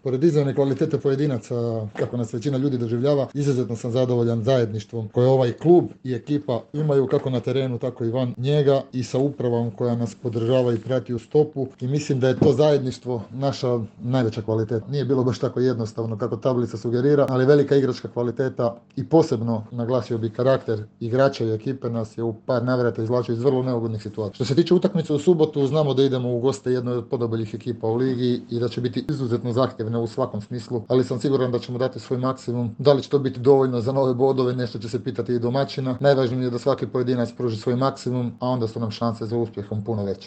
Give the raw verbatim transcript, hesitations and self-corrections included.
Pored izravne kvalitete pojedinaca, kako nas većina ljudi doživljava, izuzetno sam zadovoljan zajedništvom koje ovaj klub i ekipa imaju kako na terenu, tako i van njega i sa upravom koja nas podržava i prati u stopu i mislim da je to zajedništvo naša najveća kvaliteta. Nije bilo baš tako jednostavno kako tablica sugerira, ali velika igračka kvaliteta i posebno naglasio bi karakter igrača i ekipe nas je u par navrata izvlačio iz vrlo neugodnih situacija. Što se tiče utakmice u subotu, znamo da idemo u goste jednoj od podoboljih ekipa u ligi i da će biti izuzetno zahtjevne u svakom smislu, ali sam siguran da ćemo dati svoj maksimum. Da li će to biti dovoljno za nove bodove, nešto će se pitati i domaćina. Najvažnije je da svaki pojedinac pruži svoj maksimum, a onda su nam šanse za uspjehom puno veće.